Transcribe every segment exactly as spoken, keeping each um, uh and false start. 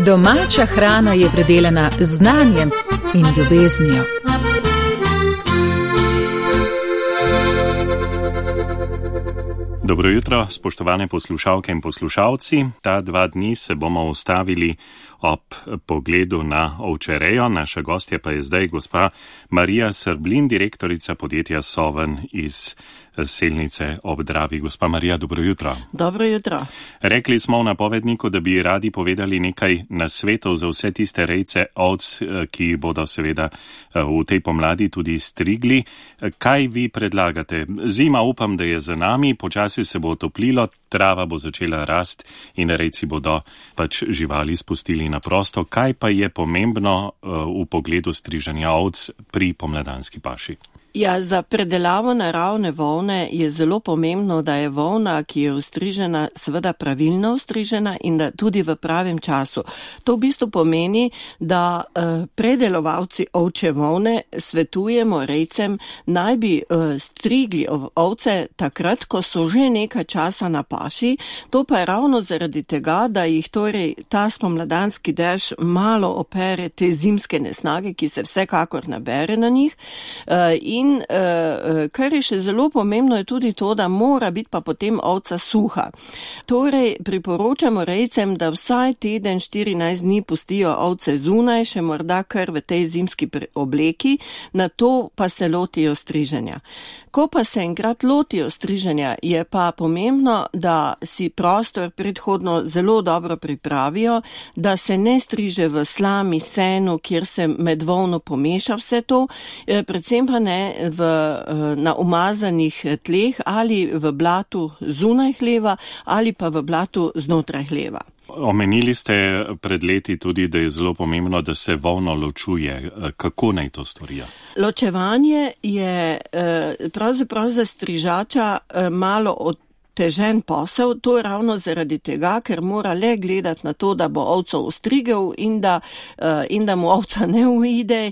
Domača hrana je predelana z znanjem in ljubeznijo. Dobro jutro, spoštovane poslušalke in poslušalci. Ta dva dni se bomo ustavili ob pogledu na ovčerejo. Naša gostja pa je zdaj gospa Marija Srblin, direktorica podjetja Soven iz Selnice ob Dravi. Gospa Marija, dobro jutro. Dobro jutro. Rekli smo v napovedniku, da bi radi povedali nekaj nasvetov za vse tiste rejce ovc, ki bodo seveda v tej pomladi tudi strigli. Kaj vi predlagate? Zima upam, da je za nami, počasi se bo otoplilo, trava bo začela rast in rejci bodo pač živali spustili na prosto. Kaj pa je pomembno v pogledu striženja ovc pri pomladanski paši? Ja, za predelavo naravne volne je zelo pomembno, da je volna, ki je ustrižena, seveda pravilno ustrižena in da tudi v pravem času. To v bistvu pomeni, da eh, predelovalci ovče volne svetujemo rejcem, naj bi eh, strigli ovce takrat, ko so že nekaj časa na paši. To pa je ravno zaradi tega, da jih torej ta spomladanski dež malo opere te zimske nesnage, ki se vsekakor nabere na njih. Eh, in In uh, kar je še zelo pomembno, je tudi to, da mora biti pa potem ovca suha. Torej, priporočamo rejcem, da vsaj teden, štirinajst dni pustijo ovce zunaj, še morda kar v tej zimski obleki, na to pa se lotijo striženja. Ko pa se enkrat lotijo striženja, je pa pomembno, da si prostor predhodno zelo dobro pripravijo, da se ne striže v slami, senu, kjer se med volno pomeša vse to, predvsem pa ne v, na umazanih tleh ali v blatu zunaj hleva ali pa v blatu znotraj hleva. Omenili ste pred leti tudi, da je zelo pomembno, da se volno ločuje. Kako naj to storijo? Ločevanje je pravzaprav za strižača malo od težen posel, to je ravno zaradi tega, ker mora le gledati na to, da bo ovco ustrigel in da, in da mu ovca ne uide.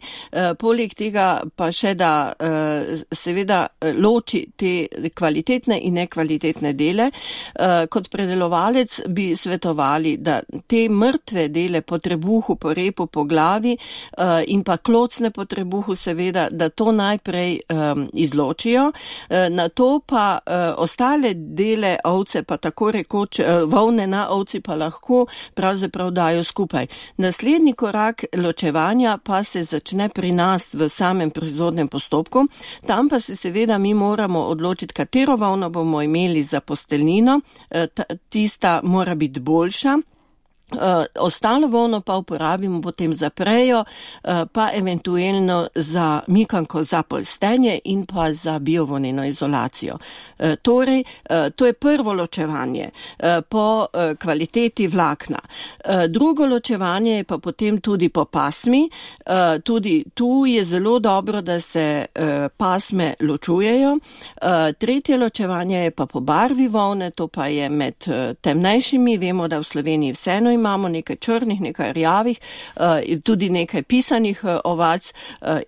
Poleg tega pa še, da seveda loči te kvalitetne in nekvalitetne dele. Kot predelovalec bi svetovali, da te mrtve dele po trebuhu, po repu, po glavi in pa klocne po trebuhu seveda, da to najprej izločijo. Na to pa ostale dele ovce pa tako rekoč volne na ovci pa lahko pravzaprav dajo skupaj. Naslednji korak ločevanja pa se začne pri nas v samem proizvodnem postopku. Tam pa se seveda mi moramo odločiti, katero volno bomo imeli za posteljnino. Tista mora biti boljša. Uh, ostalo volno pa uporabimo potem za prejo, uh, pa eventuelno za mikanko za polstenje in pa za biovoneno izolacijo. Uh, torej, uh, to je prvo ločevanje uh, po uh, kvaliteti vlakna. Uh, drugo ločevanje je pa potem tudi po pasmi. Uh, tudi tu je zelo dobro, da se uh, pasme ločujejo. Uh, tretje ločevanje je pa po barvi volne, to pa je med uh, temnejšimi. Vemo, da v Sloveniji vseeno imamo nekaj črnih, nekaj rjavih, tudi nekaj pisanih ovac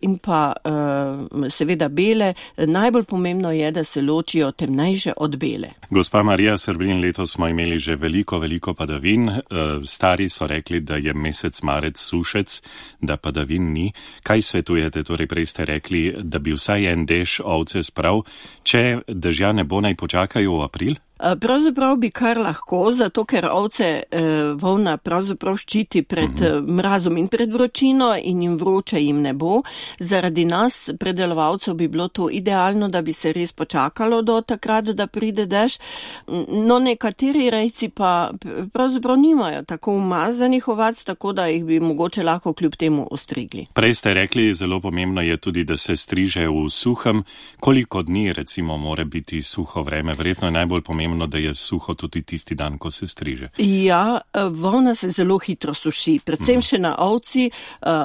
in pa seveda bele. Najbolj pomembno je, da se ločijo temnejše od bele. Gospa Marija Srblin, letos smo imeli že veliko, veliko padavin. Stari so rekli, da je mesec marec sušec, da padavin ni. Kaj svetujete? Torej, prej ste rekli, da bi vsaj en dež ovce sprav. Če dežja ne bo, naj počakajo v april? Pravzaprav bi kar lahko, zato ker ovce eh, volna pravzaprav ščiti pred eh, mrazom in pred vročino in jim vroče jim ne bo. Zaradi nas, predelovalcev, bi bilo to idealno, da bi se res počakalo do takrat, da pride dež. No, nekateri rejci pa pravzaprav nimajo tako umazanih ovac, tako da jih bi mogoče lahko kljub temu ostrigli. Prej ste rekli, zelo pomembno je tudi, da se striže v suhem. Koliko dni recimo mora biti suho vreme? Verjetno je najbolj pomembno, da je suho tudi tisti dan, ko se striže. Ja, volna se zelo hitro suši, predvsem še na ovci.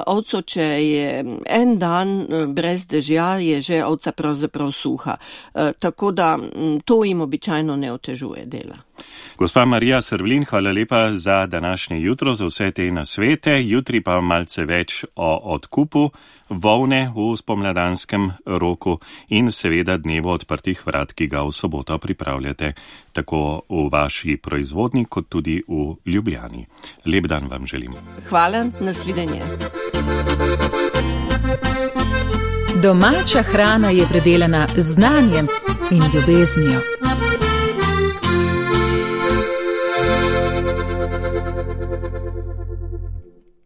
Ovco, če je en dan brez dežja, je že ovca pravzaprav suha. Tako da to jim običajno ne otežuje dela. Gospa Marija Srvlin, hvala lepa za današnje jutro, za vse te nasvete. Jutri pa malce več o odkupu volne v spomladanskem roku in seveda dnevu odprtih vrat, ki ga v soboto pripravljate tako v vaši proizvodnji kot tudi v Ljubljani. Lep dan vam želim. Hvala, nasvidenje. Domača hrana je predelana z znanjem in ljubeznijo.